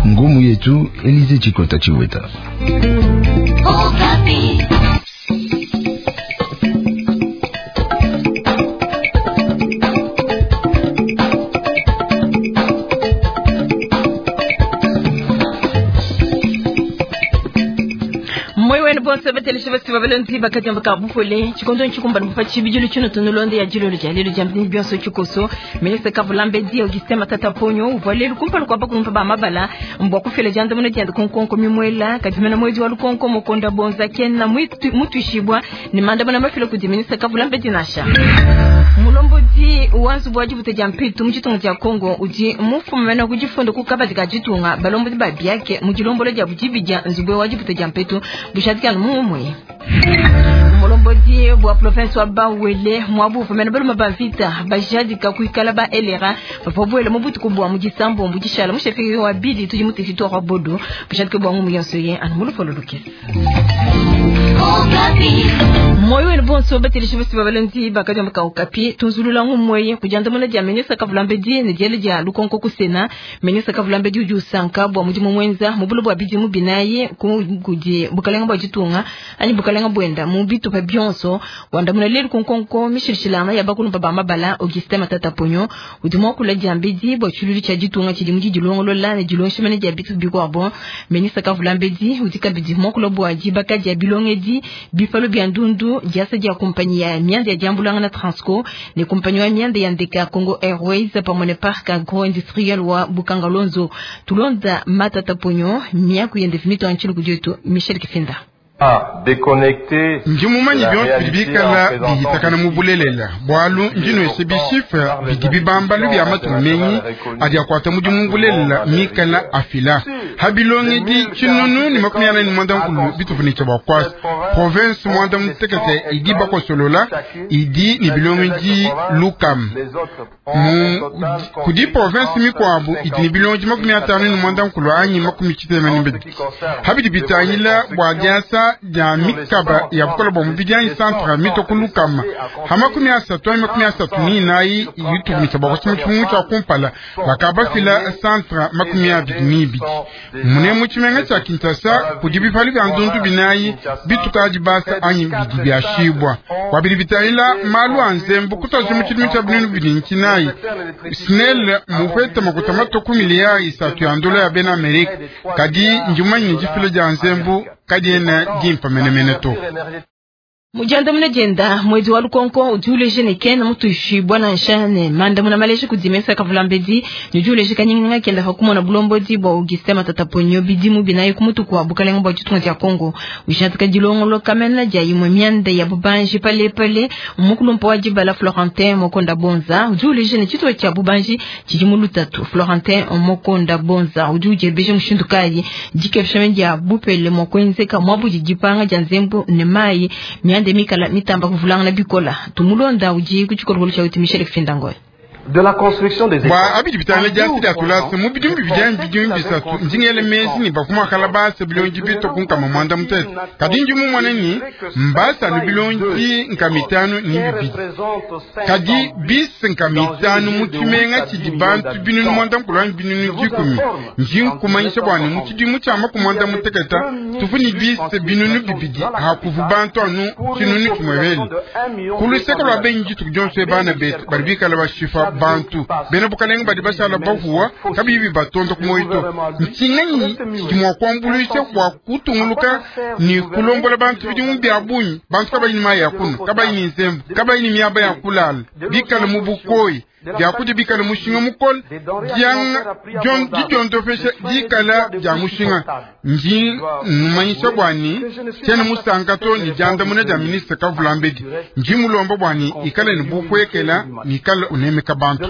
Ngumu yetu Elize Chikota Chiweta. Moi wenu bonse bateleshe basi babalonzi bakati ka bufole chikondo nchikumbana mufa chibijilu chino tunulonde ya jilolo ja lelo jambini bionso chikoso ministre Kavulambe di Augustin Matata Ponyo uvalelu kumpala kwa bakulumpa ba mabala mbwa kufela janda muno janda konkonko mimwela kadimena mwezi wa lukonko mokonda bonza kena mutuishibwa ni manda bana mafila kudi ministre Kavulambe dinasha mulombodi wanzu bwa jibuta ja mpitu mu chitunga cha Kongo uji mufumena kujifunda kukabadi ka jitunga balombodi ba biake mu jilombolo ja bujibija nzubwe wa jibuta ja mpitu bushatikana mumwe mulombodi bwa province wa Bawele mwabu fumena baluma ba vita bajadika kuikala ba elera bapobwele mu butuku bwa mu disambo mu dishala mu shefiki wa bidi tudi mu territoire wa Bodo bushadika bwa ngumu yonso ye anu mulufolo lukesi moyo wenu bonso bateleshe basi babalenzi bakadi maka okapi tunzulula ngumweye kujanda mona dia ministre Kavulambe ne diele dia lukonko kusena ministre Kavulambe udi usanka bwa mudimu mwenza mubulu bwa bidimu binayi kudi bukalenga bwa ditunga anyi bukalenga bwenda mu bitupa bionso wandamuna lelu kunkonko mishilishilanga ya bakulumpa ba mabala Augustin Matata Ponyo udi mwakula diambedi bwa tshilulu tshia ditunga tshidi mudi dilongolola ne dilonshemene dia bitu bikwabo ministre Kavulambe udi kabidi mwakula bwa dibaka dia bilongedi bifalo bia ndundu diasa dia kumpanyi ya mianda ya diambulanga na Transco ne kumpanyi ya mianda ya ndeka Congo Airways pamwe ne parc agro industriel wa Bukanga Lonzo tulonda Matata Ponyo miaku yende vimito anchilo kudietu Michel Kifinda. Ndi mumanyi bionso bidi bikala bihitakana mu bulelela bwalu ndinwese bishifre bidi bibambalu bya matunga menyi adi akwata mudimu mu bulelela mikala afila habilongedi tshinunu ni 44 bitufunika bwa kwasa province mwanda mutekete idi bakosolola idi ni bilongedi lukam mu kudi province mikwabu idi ni bilongedi 59 anyi 62 habidi bitangila bwa diasa dia mikaba ya bukola bwa mubidi anyi centre mitokulukama ha 30 anyi 34 yutukumisa bwa kusoma tshifungu tshia kumpala bakabafila centre 22 mune mu tshimenga tshia Kinshasa kudi bipali bia ndundu binayi bitukadi basa anyi bidi biashibwa bwa bidi bitangila malu a nzembu kutoza mu tshidimu tshia binunu bidi nkinayi SNEL mupete makuta matoku miliyari isatu ya ndola ya bena Amerika kadi ndimanyi difila dia nzembu kadiena dimpa menemene to. Mujanda muna jenda mwezi wa lukonko udiuleje ne kena mutuishi bwana nshane manda muna maleje kudimesa Kavulambedi nidiuleje kanyinga kenda hakumona bulombodi bwa Augustin Matata Ponyo bidimu binayi kumutu kwa bukalenga bwa ditunga dia Kongo ushatika dilongolo kamena dia imwe mianda ya bubanji pale pale umukulumpa wa dibala Florentin Mokonda Bonza udiuleje ne chitwa cha bubanji chidimu lutatu Florentin Mokonda Bonza udiujebeje mushindu kayi dikefshame dia bupele mokwenzeka mwabu dipanga dia nzembu ne mai miande mikala mitamba kuvulanga na bikola tumulonda uji kuchikolokolo cha uti Michel Kifinda de la construction des bwa abidi bitangila diasi dia tulasa mu bidimu bibidi bidimu bisatu ndingele mezi ni bakumakala basa bilongi bito kunkama mwanda mutete kadi ndi mumone ni mbasa ni bilongi nkama itanu ni bibidi kadi bisi nkama itanu mu tshimenga tshidi bantu binunu mwanda mukulu anyi binunu dikumi ndi nkumanyisha bua ne mu tshidimu tshia maku mwanda muteketa tuvu ni bisi binunu bibidi hakuvu bantu anu tshinunu tshimwevele kuluseka lua benyi dituku dionso bana betu badi bikala bashifa bantu bena bukalenga badi bashala bavuwa kabibi batonda ku moyo ntshinganyi tshidi kuambuluisha bua kutunguluka ni kulombola bantu bidimu bia bunyi bantu kabayi ni mayi ya kunwa kabayi ni nzembu kabayi ni miaba ya kulala bikala mu bukoyi biakudia bikala mushinga mukole didiondopesha dikala dia mushinga ndi numanyisha bwani tshiena musanka to ni diandamuna dia ministre Kavulambedi ndi mulomba bwani ikale ni bukwekela nikale unemeka bantu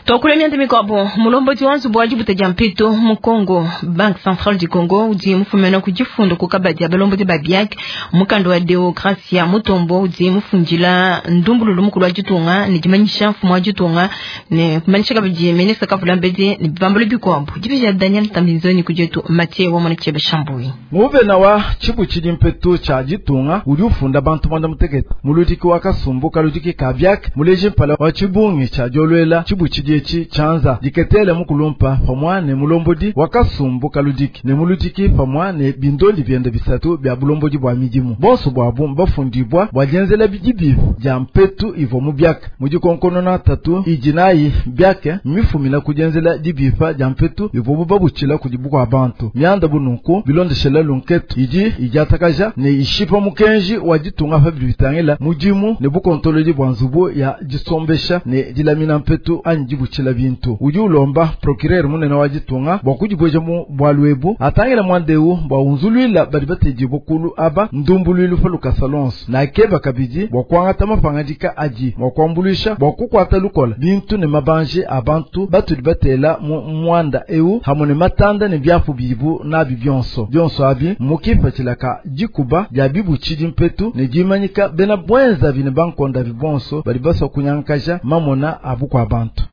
tokule mianda mikwabo mulombodi wa nzubu wa dibuta dia mpito mu Congo Banque Centrale du Congo udi mufumena ku difundo ku kabadi ya balombodi ba biak mukanda wa Deogracia Mutombo udi mufundila ndumbululu mukulu wa ditunga ne dimanyisha mfumu wa ditunga Ne kumanyisha kabidi ministre kavula mbedi ne bibambalu bikuabu. Dibeji Daniel Tambinzoni kudietu Mathieu wa mwana Chebe Shambui. Muvena wa tshibutshidi mpetu tshia ditunga udi ufunda bantu mwanda mutekete muludiki wa kasumbu kaludiki ka biak muleji mpala wa tshibungi tshia diolwela tshibutshidi etshi tshianza diketele mukulumpa pamwa ne mulombodi wa kasumbu kaludiki ne muludiki pamwa ne bindondi biende bisatu bia bulombodi bua midimu bonso bwabu bafundibwa bua dienzela bidibi dia mpetu ivo mu biak mudikonkonona tatu idinayi biake mifumina kudienzela dibipa dia mpetu ivo bubabutshila kudi bukua bantu mianda bununku bilondeshela lunketu idi idiatakaja ne ishipa mukenji wa ditunga pa bitangila mudimu ne bukontolodi bua nzubu ya disombesha ne dilamina mpetu anyi dibutshila bintu udi ulomba procureur munene wa ditunga bua kudibueja mu bwalu ebu atangila mwandeu bua unzuluila badi batedi bukulu aba ndumbuluilu pa lukasa lonso na akeba kabidi bua kuangata mapangadika adi mua kuambuluisha bua kukuata lukola bintu ne mabanje abantu batudi batela mu mwanda eu hamwe ne matanda ne byapu bibu nabi byonso byonso abi mukipatshilaka dikuba dia bibutshidi mpetu ne dimanyika bena bwenza bine bankonda bibonso badi baswa kunyankaja mamona abu kwa bantu.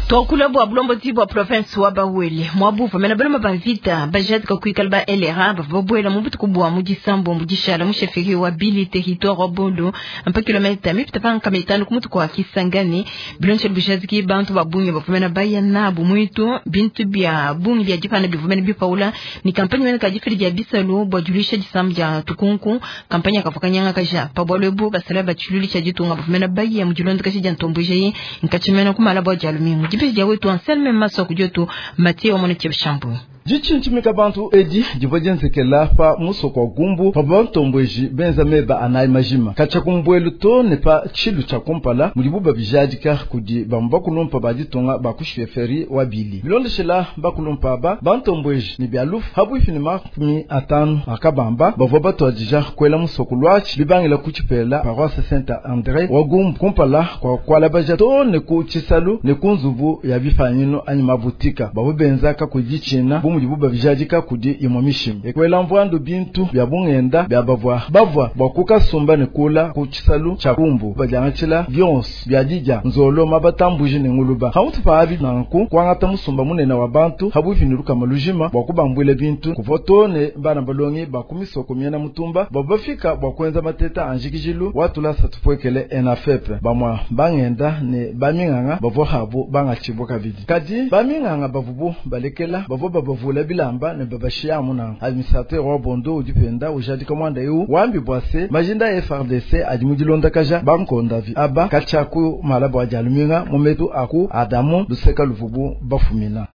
Twakula bwa bulombodi bwa province wa Bawele mwabuva mena baloma bavita bajadika kuikala ba LRA bava babwela mu butuku bwa mu disambo mu dishala mu chefferie wa Bili territoire wa Bondo ampa kilomita mipita pa nkama itanu ku mutuku wa Kisangani bilonche bujadiki bantu babungi bavumena baya nabu mwitu bintu bya bungi bya dipana bivumena bipaula ni kampanye mena kadifili dia bisalu bwa julisha disambo dia tukunku kampanye akafakanyanga kaja pa bwalwebu basala bachululi cha ditunga bavumena baya mu dilondo kashi dia ntombuje nkachimena kumala bwa jalumingu dibeji wetu Anselme Maso kujotu Mathieu wa mwana Shambu. Dichinchimika bantu edi divua dienzekela pa musoko wa gumbu pa bantombweji benza meba anayi majima katshia kumbwelu to ne pa tshilu tshia kumpala mudibu babijadika kudi bamu bakulumpa ba ditunga ba ku chefferie wa Bili bilondeshela bakulumpa aba bantombweji ne bia lufu habuifi ne 50 akabamba bavua batuadija kuela musoko lwatshi bibangila ku tshipela paroisse Saint André wa gumbu kumpala kwa kualabaja to ne ku tshisalu ne ku nzubu ya bifanyino anyi mabutika bavua benzaka ku ditshina buba bijadika kudi imwe mishimi ekwela mvwandu bintu bya bungenda bya bavwa bavwa bwa kukasumba ne kula ku tshisalu tsha kumbu badiangatshila byonso bya didya nzolo mabatambuji ne nguluba hamutu pa abi nanku kuangata musumba munene wa bantu habuifi ne lukama lujima bwa kubambwila bintu kuva to ne bana balongi bakumisoko miena mutumba bwa bafika bwa kuenza mateta anjikijilu watulasa tupwekele enafepe bamwa bangenda ne baminganga bavwa habu bangatshibwa kabidi kadi baminganga bavubu balekela bavwa babavula bilamba ne babashia amuna administrateur wa Bondo udipenda ujadika mwanda eu wambi bwase majinda FRDC adi mudilondakaja bankondavi aba kachaku malabo ajaluminga mumetu aku Adamu luseka luvubu bafumina.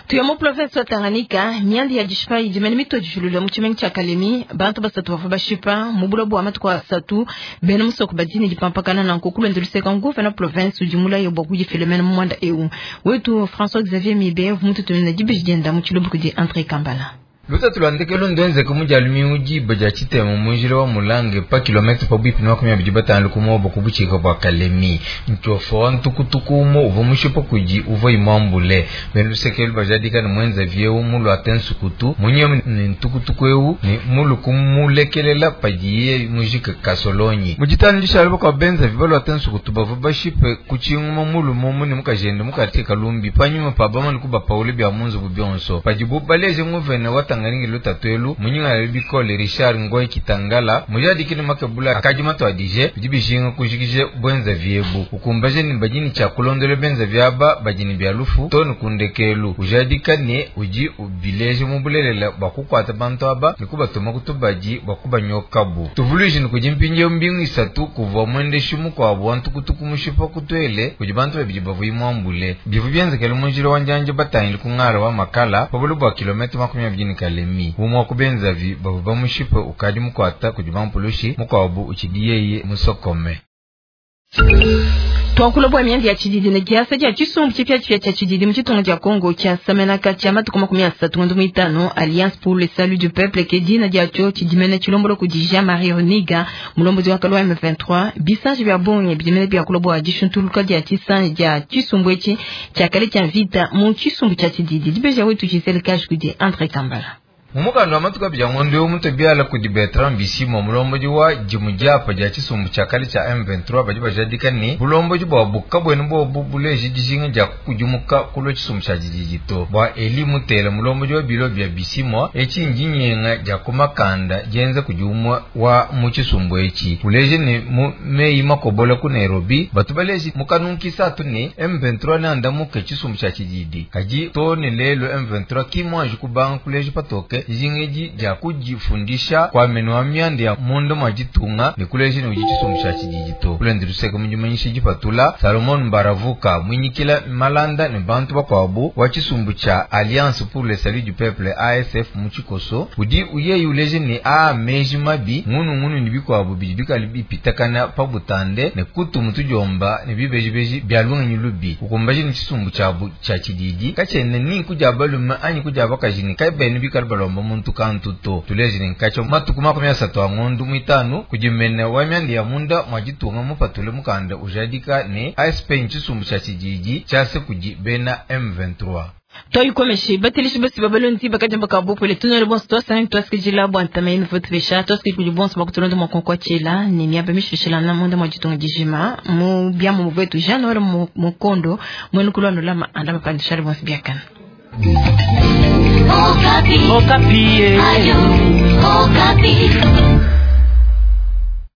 Tuyamo province wa Tanganyika miandi ya dishipa idimene mito dijulula mu tshimenga tshia Kalemi bantu basatu bavua bashipa mu bulobo bua matuku asatu bena musoko badini dipampakana nanku kulonda luseka nguvena province udi mulaye bua kudifilemena mu mwanda eu wetu François Xavier Mibe vumututumina dibeji dienda mu tshilumbu kudi André Kambala. Lutatu lwa ndekelu ndwenzeke mujalumi ujiba ja tshitema munjila wa mulange pa kilomita pabuipi na 25 kumobo kubuchika bwa Kalemi nchofo wa ntukutuku umo uva mushipa kuji uva imwambule benu lusekelu bajadika ne mwenza vyeu mulu ate nsukutu munye ne ntukutuku eu ne mulu kumulekelela padiye mujika kasolonyi mujitani lishalo bakwa benza vibalu ate nsukutu bava bashipe kuchinguma mulu mumu ne mukajende mukati kalumbi panyuma pa bamani kubapaule bya munzubu byonso padibu baleje nguvene wata ngaringi lutatwelu munyinga bikole Richard Ngoy Kitangala mujadikile makebula akaji matwadije bidibishinga kujikije bwenza vyebu ukumbaje ni bajini cha kulondole benza vyaba bajini bya lufu tonu kundekelu ujadika ne uji ubileje mubulelela bakukwata bantu aba nikubatuma kutubaji bakubanyokabu tuvuluji nikujimpinje mbingu isatu kuva mwendeshi mukwabo wantukutuku mushipa kutwele kuji bantu babidi bavuyi mwambule bivu byenzekele munjila wanjanje batangile kung'ala wa makala pabulu bwa kilomita 20 Kalemi umwa kubenzavi bavu bamushipa ukadi mukwata kudi bampulushi mukwabu uchidiyeye musokome. Twakula bwa miandi ya chididi na kiasa cha chisumbu chipya chipya cha chididi mu chitunga cha Kongo cha samena cha matuku 35 Alliance pour le salut du peuple ke dina diacho chidimene chilombolo kudi Jean-Marie Roniga mulombozi wa kalwa M23 bisanji bya bonye bidimene bya kulobwa dishuntuluka dia chisanji dia chisumbu echi cha kale cha vita mu chisumbu cha chididi dibeja wetu chiselekash kudi André Kambala. Mu mukanda wa matuku abidi a ngondo eu mutue biala kudi Bertrand Bisimwa, mulombodi wa dimue diapa dia tshisumbu tshia kale tshia M23, badi bajadika ne, bulombodi buabu kabuena buobu buleje dijinga dia kukudimuka kulua tshisumbu tshia tshididi to. Bua Elie Mutela, mulombodi wa bilo bia Bisimwa, etshi ndinyenga dia ku makanda dienza kudi umue wa mu tshisumbu etshi. Uleje ne, mu meyi makobola ku Nairobi, batu baleje mu kanungu kisatu ne, M23 neandamuke tshisumbu tshia tshididi. Kadi too ne lelu M23 ki muanji kubanga kuleja patoke dijinga edi dia kudifundisha kua menu a mianda ya munda mua ditunga ne kuleja ne udi tshisumbu tshia tshididi to. Kulende luseke mu dimanyisha dipatula, Salomon Mbaravuka muinyikila malanda ne bantu bakuabu wa tshisumbu tshia Alliance pour le Salut du Peuple ASF mu tshikoso, udi yeye uleja ne aa meji mabi, ngunungunu ne bikuabu bidi bikale bipitakana pa butande ne kutu mutudiomba ne bibejibeji bia lungenyi lubi, ukumbaje ne tshisumbu tshiabu tshia tshididi katshiena ni nku dia balume anyi ku dia bakaji ne kabena bikale balomba muntu kantu to. Tuleje ne nkatshia matuku 30 a ngondo muitanu kudi mene wa mianda ya munda mua ditunga mupatule mukanda ujadika ne ASP ntshisumbu tshia tshididi tshiase kudi bena M23. Toyikomeshe batelishi basi babalondi bakajamba kabopole tunole bonso twasanga twasikijila bwa ntama yenu vote besha twasikiji kudi bonso bakutulonda mwa konkwachela ne miaba mishilishila na munda mwa ditunga dijima mu biamu muvetu Jean Noel Mukondo mwenu kulwano lama andama pandishari bonso biakana. Okapi. Okapi. Ayo, Okapi.